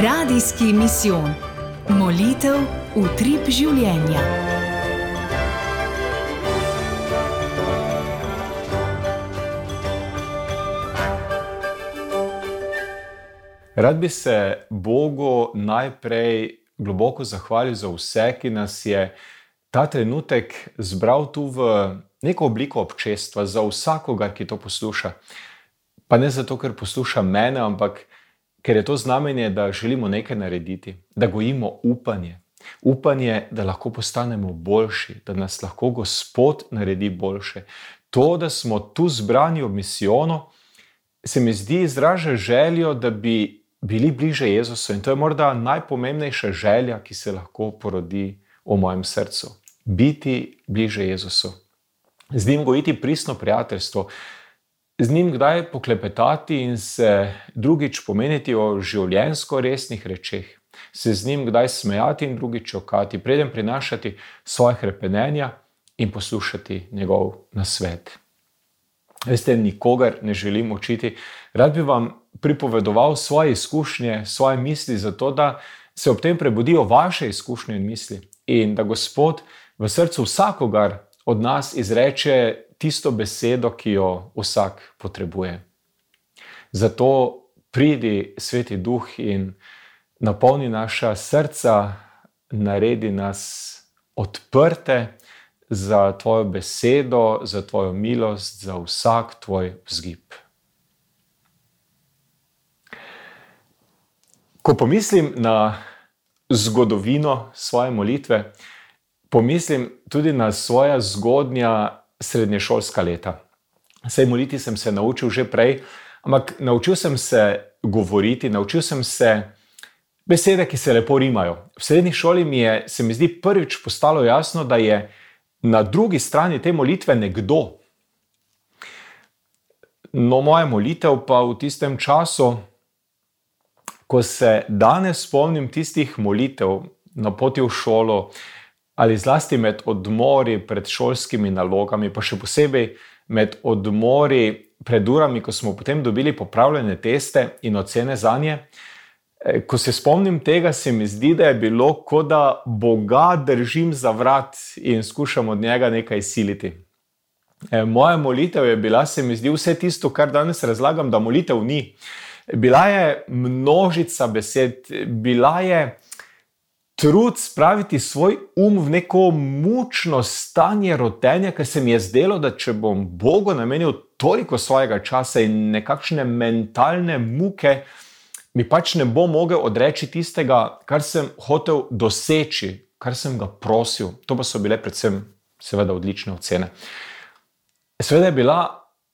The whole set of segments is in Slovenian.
Radijski misijon. Molitev utrip življenja. Rad bi se Bogu najprej globoko zahvalil za vse, ki nas je ta trenutek zbral tu v neko obliko občestva, za vsakogar, ki to posluša. Pa ne zato, ker posluša mene, ampak ker je to znamenje, da želimo nekaj narediti, da gojimo upanje. Upanje, da lahko postanemo boljši, da nas lahko Gospod naredi boljše. To, da smo tu zbrani ob misijonu, se mi zdi izraža željo, da bi bili bliže Jezusu. In to je morda najpomembnejša želja, ki se lahko porodi v mojem srcu. Biti bliže Jezusu. Z njim gojiti pristno prijateljstvo. Z njim kdaj poklepetati in se drugič pomeniti o življenjsko resnih rečeh. Se z njim kdaj smejati in drugič čokati, preden prinašati svoje hrepenenja in poslušati njegov nasvet. Veste, nikogar ne želim učiti. Rad bi vam pripovedoval svoje izkušnje, svoje misli, zato da se ob tem prebudijo vaše izkušnje in misli. In da Gospod v srcu vsakogar od nas izreče tisto besedo, ki jo vsak potrebuje. Zato pridi, Sveti Duh, in napolni naša srca, naredi nas odprte za tvojo besedo, za tvojo milost, za vsak tvoj vzgib. Ko pomislim na zgodovino svoje molitve, pomislim tudi na svoja zgodnja srednješolska leta. Saj moliti sem se naučil že prej, ampak naučil sem se govoriti, naučil sem se besede, ki se lepo rimajo. V srednji šoli se mi zdi prvič postalo jasno, da je na drugi strani te molitve nekdo. No, moja molitev pa v tistem času, ko se danes spomnim tistih molitev na poti v šolo ali zlasti med odmori pred šolskimi nalogami, pa še posebej med odmori pred urami, ko smo potem dobili popravljene teste in ocene zanje, ko se spomnim tega, se mi zdi, da je bilo, kot da Boga držim za vrat in skušam od njega nekaj siliti. Moja molitev je bila, se mi zdi, vse tisto, kar danes razlagam, da molitev ni. Bila je množica besed, bila je trud spraviti svoj v neko mučno stanje rotenja, ker se mi je zdelo, da če bom Bogu namenil toliko svojega časa in nekakšne mentalne muke, mi pač ne bom mogel odreči tistega, kar sem hotel doseči, kar sem ga prosil. To pa so bile predvsem seveda odlične ocene. Seveda je bila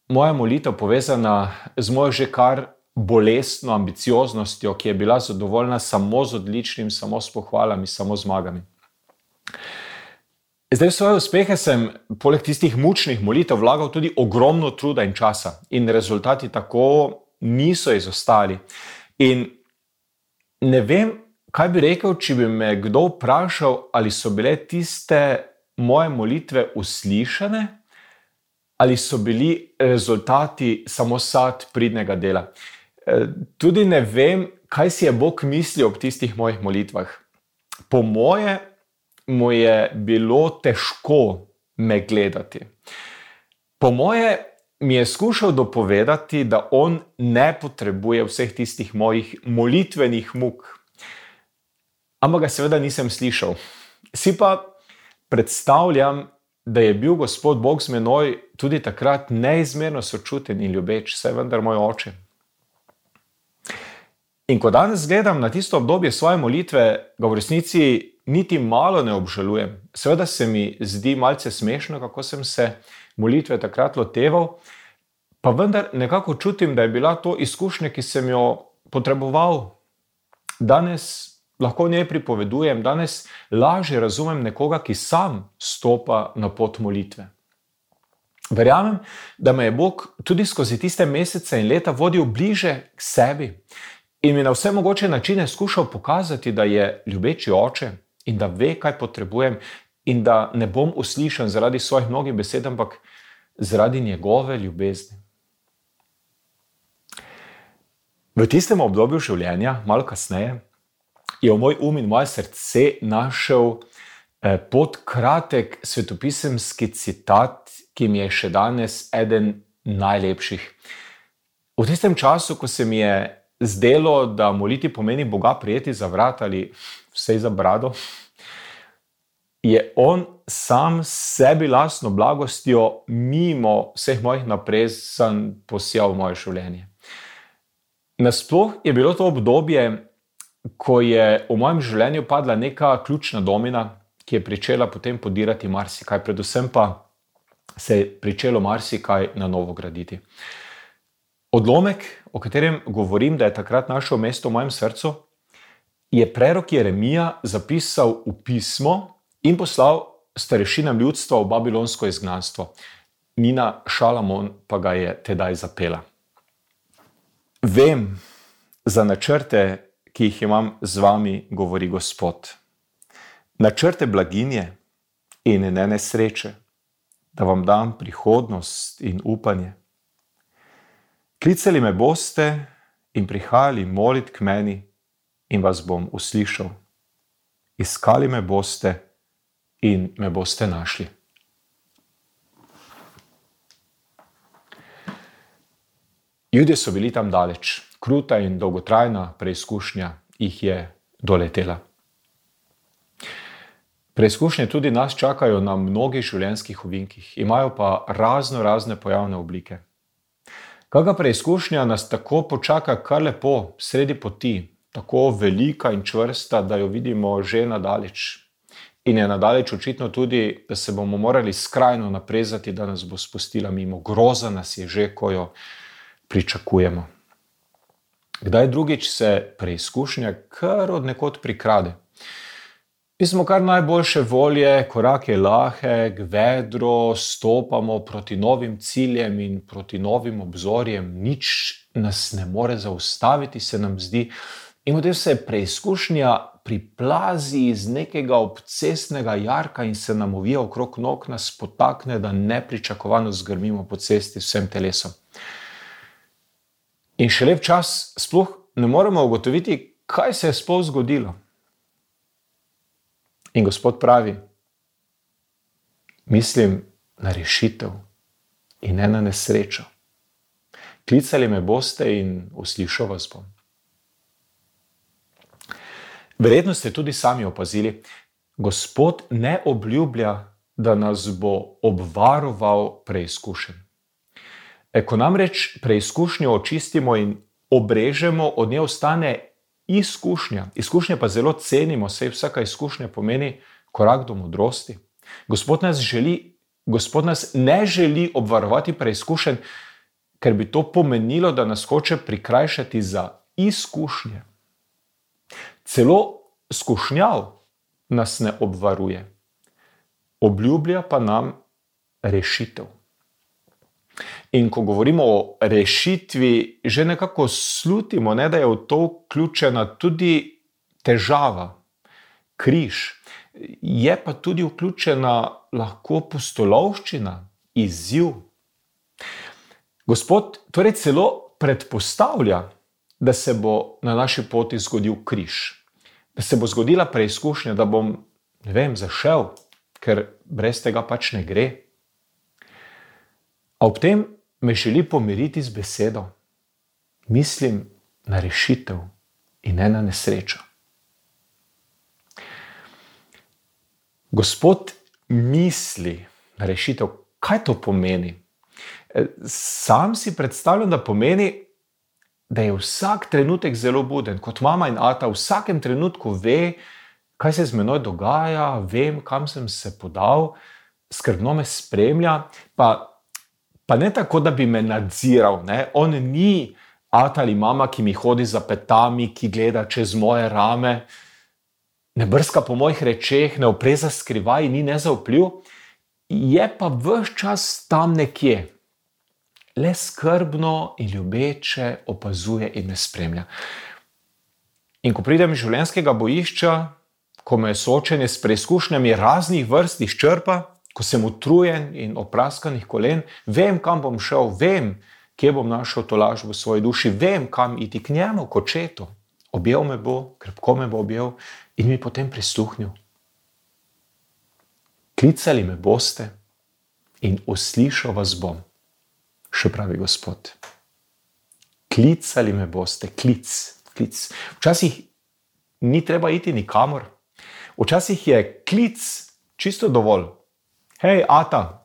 moja molitev povezana z mojo že kar bolestno ambicioznostjo, ki je bila zadovoljna samo z odličnim, samo s pohvalami, samo zmagami. Zdaj v svoje uspehe sem poleg tistih mučnih molitev vlagal tudi ogromno truda in časa in rezultati tako niso izostali. In ne vem, kaj bi rekel, če bi me kdo vprašal, ali so bile tiste moje molitve uslišane, ali so bili rezultati samo sad pridnega dela. Tudi ne vem, kaj si je Bog mislil ob tistih mojih molitvah. Po moje mu je bilo težko me gledati. Po moje mi je skušal dopovedati, da on ne potrebuje vseh tistih mojih molitvenih muk. Ampak ga seveda nisem slišal. Si pa predstavljam, da je bil Gospod Bog z menoj tudi takrat neizmerno sočuten in ljubeč, saj vendar moj oče. In ko danes gledam na tisto obdobje svoje molitve, ga v resnici niti malo ne obžalujem. Seveda se mi zdi malce smešno, kako sem se molitve takrat loteval, pa vendar nekako čutim, da je bila to izkušnja, ki sem jo potreboval. Danes lahko njej pripovedujem, danes lažje razumem nekoga, ki sam stopa na pot molitve. Verjamem, da me je Bog tudi skozi tiste mesece in leta vodil bliže k sebi in mi na vse mogoče načine skušal pokazati, da je ljubeči oče in da ve, kaj potrebujem in da ne bom uslišan zaradi svojih mnogih besed, ampak zaradi njegove ljubezni. V tistem obdobju življenja, malo kasneje, je v moj in moje srce našel podkratek svetopisemski citat, ki mi je še danes eden najlepših. V tistem času, ko se mi je zdelo, da moliti pomeni Boga prijeti za vrat ali vsej za brado, je on sam sebi lastno blagostjo mimo vseh mojih naprezanj posijal v moje življenje. Nasploh je bilo to obdobje, ko je v mojem življenju padla neka ključna domina, ki je pričela potem podirati marsikaj, predvsem pa se je pričelo marsikaj na novo graditi. Odlomek, o katerem govorim, da je takrat našel mesto v mojem srcu, je prerok Jeremija zapisal v pismo in poslal starešinam ljudstva v babilonsko izgnanstvo. Nina Šalamon pa ga je tedaj zapela. Vem za načrte, ki jih imam z vami, govori Gospod. Načrte blaginje in ne nesreče, da vam dam prihodnost in upanje. Klicali me boste in prihajali molit k meni in vas bom uslišal. Iskali me boste in me boste našli. Judje so bili tam daleč. Kruta in dolgotrajna preizkušnja jih je doletela. Preizkušnje tudi nas čakajo na mnogih življenjskih ovinkih, imajo pa razne pojavne oblike. Kakšna preizkušnja nas tako počaka kar lepo, sredi poti, tako velika in čvrsta, da jo vidimo že nadaleč. In je nadaleč očitno tudi, da se bomo morali skrajno naprezati, da nas bo spustila mimo. Groza nas je že, ko jo pričakujemo. Kdaj drugič se preizkušnja kar od nekod prikrade. Mi smo kar najboljše volje, korak je lahek, vedro, stopamo proti novim ciljem in proti novim obzorjem. Nič nas ne more zaustaviti, se nam zdi. In potem se preizkušnja priplazi iz nekega obcestnega jarka in se nam ovija okrog nog, nas potakne, da nepričakovano zgrmimo po cesti vsem telesom. In še lep čas sploh ne moremo ugotoviti, kaj se je sploh zgodilo. In Gospod pravi, mislim na rešitev in ne na nesrečo. Klicali me boste in uslišal vas bom. Verjetno ste tudi sami opazili, Gospod ne obljublja, da nas bo obvaroval preizkušenj. Ko namreč preizkušnjo očistimo in obrežemo, od nje ostane izkušnja. Izkušnje pa zelo cenimo, saj vsaka izkušnja pomeni korak do modrosti. Gospod nas ne želi obvarovati preizkušenj, ker bi to pomenilo, da nas hoče prikrajšati za izkušnje. Celo skušnjav nas ne obvaruje. Obljublja pa nam rešitev. In ko govorimo o rešitvi, že nekako slutimo, da je v to vključena tudi težava, križ. Je pa tudi vključena lahko pustolovščina, izziv. Gospod torej celo predpostavlja, da se bo na naši poti zgodil križ. Da se bo zgodila preizkušnja, da bom, zašel, ker brez tega pač ne gre. A ob tem me želi pomiriti z besedo. Mislim na rešitev in ne na nesrečo. Gospod misli na rešitev. Kaj to pomeni? Sam si predstavljam, da pomeni, da je vsak trenutek zelo buden. Kot mama in ata v vsakem trenutku ve, kaj se z menoj dogaja, vem, kam sem se podal, skrbno me spremlja, pa ne tako, da bi me nadziral. On ni ata ali mama, ki mi hodi za petami, ki gleda čez moje rame, ne brska po mojih rečeh, ne opreza skrivaj, ni nezaupljiv, je pa ves čas tam nekje. Le skrbno in ljubeče opazuje in me spremlja. In ko pridem iz življenjskega bojišča, ko me soočenje s preizkušnjami raznih vrst izčrpa, ko sem utrujen in opraskanih kolen, vem, kam bom šel, vem, kje bom našel tolažbo v svoji duši, vem, kam iti k njemu, k očetu. objel me bo, krepko me bo objel in mi potem prisluhnil. Klicali me boste in uslišal vas bom, še pravi Gospod. Klicali me boste, klic. Včasih ni treba iti nikamor. Včasih je klic čisto dovolj. Hej, ata,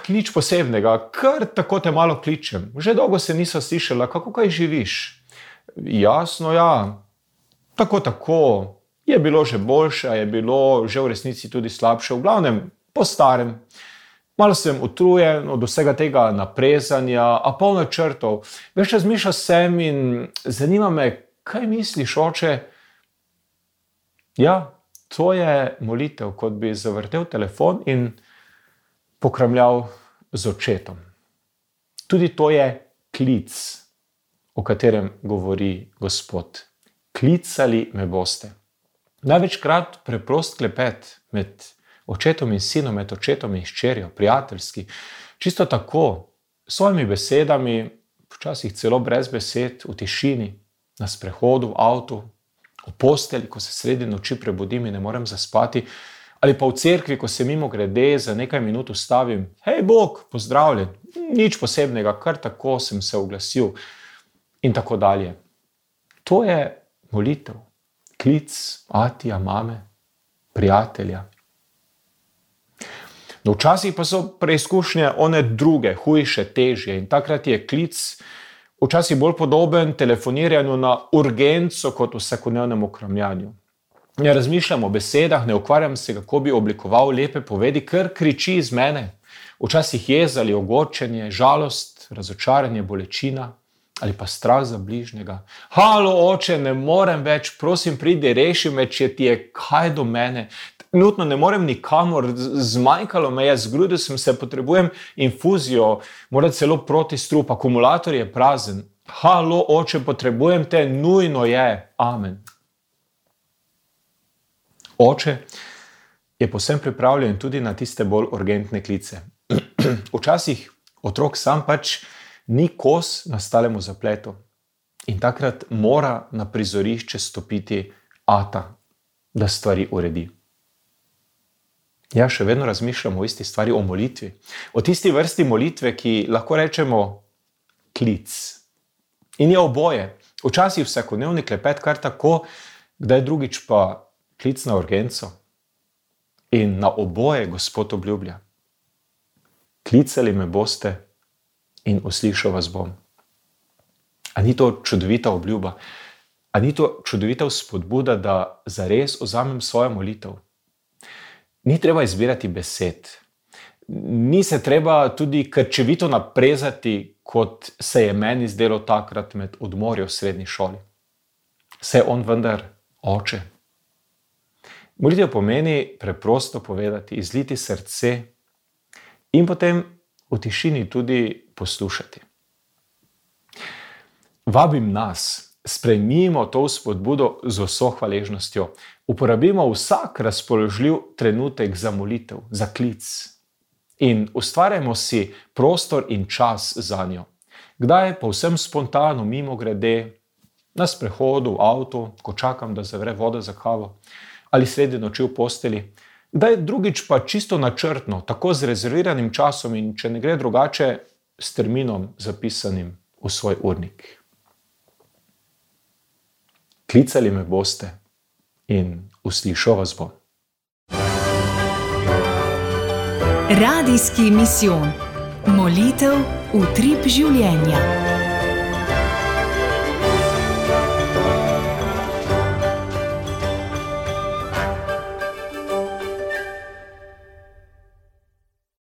nič posebnega, kar tako te malo kličem. Že dolgo se niso slišala, kako kaj živiš? Jasno, ja, tako. Je bilo že boljše, je bilo že v resnici tudi slabše. V glavnem, po starem. Malo sem utrujen od vsega tega naprezanja, a polno črtov. Veš, razmišljal sem in zanima me, kaj misliš, oče? Ja, to je molitev, kot bi zavrtel telefon in pokramljal z očetom. Tudi to je klic, o katerem govori Gospod. Klicali me boste. Največkrat preprost klepet med očetom in sinom, med očetom in hčerjo, prijateljski. Čisto tako, s svojimi besedami, včasih celo brez besed, v tišini, na sprehodu, v avtu, v posteli, ko se sredi noči prebudim in ne morem zaspati, ali pa v cerkvi, ko se mimogrede za nekaj minut ustavim. Hej, Bog, pozdravljen, nič posebnega, kar tako sem se oglasil in tako dalje. To je molitev, klic atija, mame, prijatelja. No, včasih pa so preizkušnje one druge, hujše, težje in takrat je klic včasih bolj podoben telefoniranju na urgenco kot vsakodnevnemu kramljanju. Ne razmišljam o besedah, ne ukvarjam se, kako bi oblikoval lepe povedi, ker kriči iz mene. Včasih jeza ali ogorčenje, žalost, razočaranje, bolečina ali pa strah za bližnjega. Halo, oče, ne morem več, prosim, pridi, reši me, če ti je kaj do mene. Trenutno ne morem nikamor, zmanjkalo me je, zgrudil sem se, potrebujem infuzijo, mora celo protistrup, akumulator je prazen. Halo, oče, potrebujem te, nujno je. Amen. Oče je povsem pripravljen tudi na tiste bolj urgentne klice. Včasih otrok sam pač ni kos nastalemu zapletu in takrat mora na prizorišče stopiti ata, da stvari uredi. Ja, še vedno razmišljam o isti stvari, o molitvi. O tisti vrsti molitve, ki lahko rečemo klic. In je oboje. Včasih vsakodnevni klepet kar tako, kdaj drugič pa klic na urgenco. In na oboje Gospod obljublja. Klicali me boste in uslišal vas bom. A ni to čudovita obljuba? A ni to čudovita spodbuda, da zares vzamem svojo molitev? Ni treba izbirati besed. Ni se treba tudi krčevito naprezati, kot se je meni zdelo takrat med odmorjo v srednji šoli. Se je on vendar oče. Molitev pomeni preprosto povedati, izliti srce in potem v tišini tudi poslušati. Vabim nas, sprejmimo to spodbudo z vso hvaležnostjo. Uporabimo vsak razpoložljiv trenutek za molitev, za klic. In ustvarjamo si prostor in čas zanjo. Kdaj povsem spontano, mimogrede, na sprehodu, v avtu, ko čakam, da zavre voda za kavo, ali sredi noči v posteli. Kdaj drugič pa čisto načrtno, tako z rezerviranim časom in če ne gre drugače, s terminom zapisanim v svoj urnik. Klicali me boste in uslišal vas bom. Radijski misijon. Molitev utrip življenja.